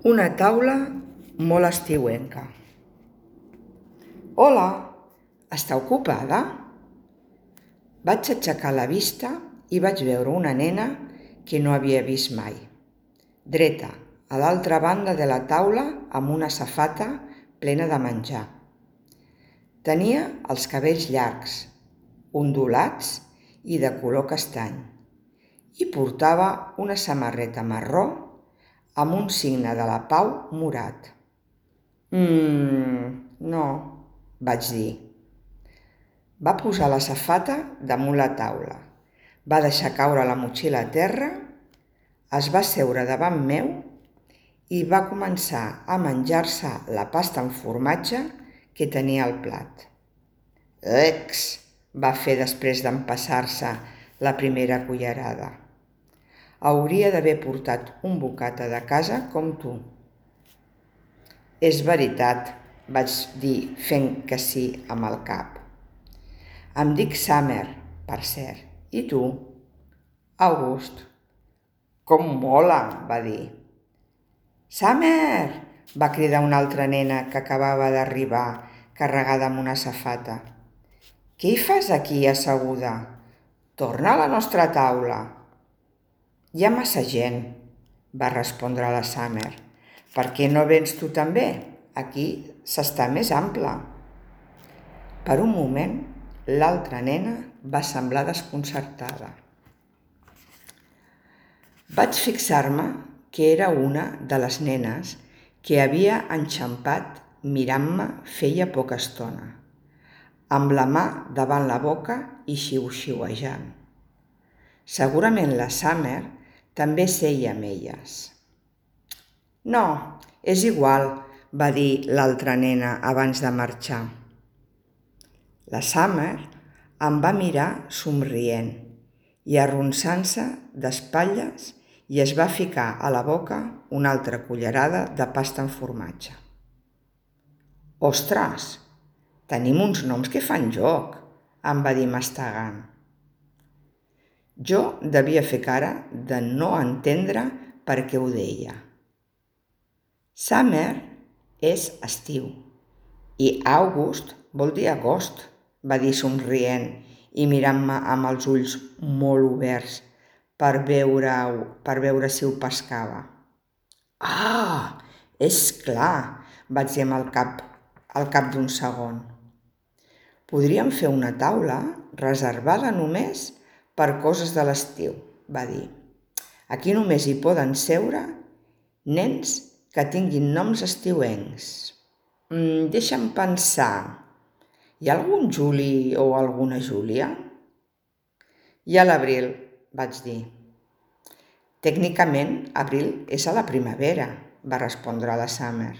Una taula molt estiuenca. Hola, està ocupada? Vaig aixecar la vista i vaig veure una nena que no havia vist mai, dreta a l'altra banda de la taula amb una safata plena de menjar. Tenia els cabells llargs, ondulats i de color castany, i portava una samarreta marró amb un signe de la pau morat. No, vaig dir. Va posar la safata damunt la taula, va deixar caure la motxilla a terra, es va seure davant meu i va començar a menjar-se la pasta amb formatge que tenia al plat. Ex! Va fer després d'empassar-se la primera cullerada. Hauria d'haver portat un bocata de casa com tu. És veritat, vaig dir fent que sí amb el cap. Em dic Summer, per cert. I tu? August. Com mola, va dir. Summer! Va cridar una altra nena que acabava d'arribar, carregada amb una safata. Què hi fas aquí asseguda? Torna a la nostra taula. Hi ha massa gent, va respondre la Summer. Per què no vens tu també? Aquí s'està més ample. Per un moment, l'altra nena va semblar desconcertada. Vaig fixar-me que era una de les nenes que havia enxampat mirant-me feia poca estona, amb la mà davant la boca i xiu-xiuejant. Segurament la Summer també seia amb elles. No, és igual, va dir l'altra nena abans de marxar. La Summer em va mirar somrient i arronsant-se d'espatlles i es va ficar a la boca una altra cullerada de pasta amb formatge. Ostres, tenim uns noms que fan joc, em va dir mastegant. Jo devia fer cara de no entendre per què ho deia. Summer és estiu i August vol dir agost, va dir somrient i mirant-me amb els ulls molt oberts per veure si ho pescava. Ah, és clar, vaig dir amb el cap al cap d'un segon. Podríem fer una taula reservada només per coses de l'estiu, va dir. Aquí només hi poden seure nens que tinguin noms estiuencs. Deixa'm pensar. Hi ha algun Juli o alguna Júlia? Hi ha l'Abril, vaig dir. Tècnicament, abril és a la primavera, va respondre la Summer.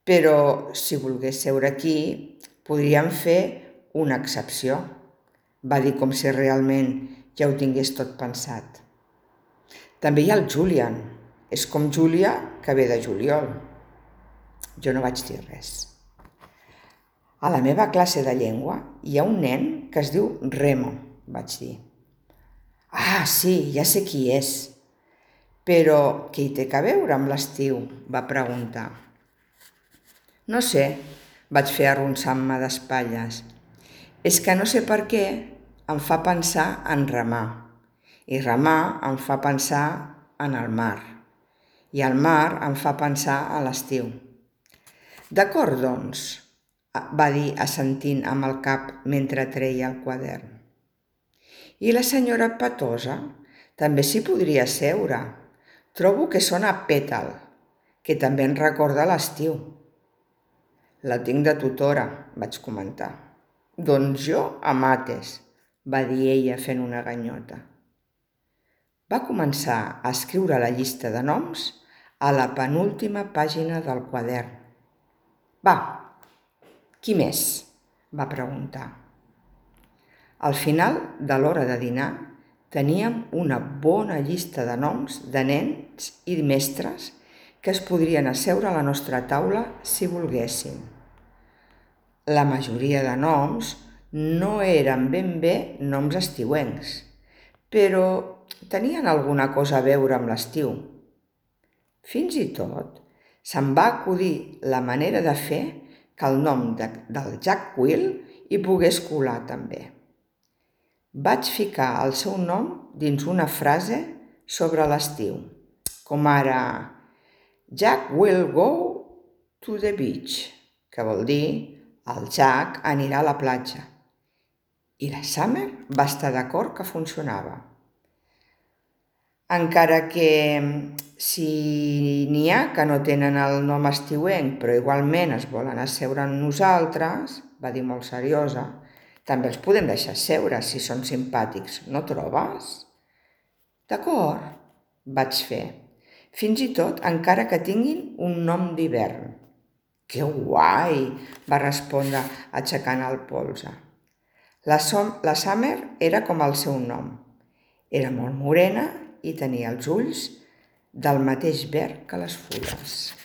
Però si volgués seure aquí, podríem fer una excepció, va dir com si realment ja ho tingués tot pensat. També hi ha el Julian. És com Júlia, que ve de juliol. Jo no vaig dir res. A la meva classe de llengua hi ha un nen que es diu Remo, vaig dir. Ah, sí, ja sé qui és. Però què hi té a veure amb l'estiu? Va preguntar. No sé, vaig fer arronsant-me d'espatlles. És que no sé per què em fa pensar en remar. I remar em fa pensar en el mar. I el mar em fa pensar en l'estiu. D'acord, doncs, va dir assentint amb el cap mentre treia el quadern. I la senyora Petosa també s'hi podria seure. Trobo que sona pètal, que també em recorda l'estiu. La tinc de tutora, vaig comentar. Doncs jo a mates, va dir ella fent una ganyota. Va començar a escriure la llista de noms a la penúltima pàgina del quadern. Va, qui més? Va preguntar. Al final de l'hora de dinar teníem una bona llista de noms de nens i mestres que es podrien asseure a la nostra taula si volguessin. La majoria de noms no eren ben bé noms estiuencs, però tenien alguna cosa a veure amb l'estiu. Fins i tot Se'm va acudir la manera de fer que el nom del Jack Will hi pogués colar també. Vaig ficar el seu nom dins una frase sobre l'estiu, com ara Jack will go to the beach, que vol dir el Jack anirà a la platja. I la Summer va estar d'acord que funcionava. Encara que si n'hi ha que no tenen el nom estiuenc però igualment es volen asseure amb nosaltres, va dir molt seriosa, també els podem deixar seure si són simpàtics, no trobes? D'acord, vaig fer. Fins i tot encara que tinguin un nom d'hivern. Que guai, va respondre aixecant el polze. La Summer era com el seu nom. Era molt morena i tenia els ulls del mateix verd que les fulles.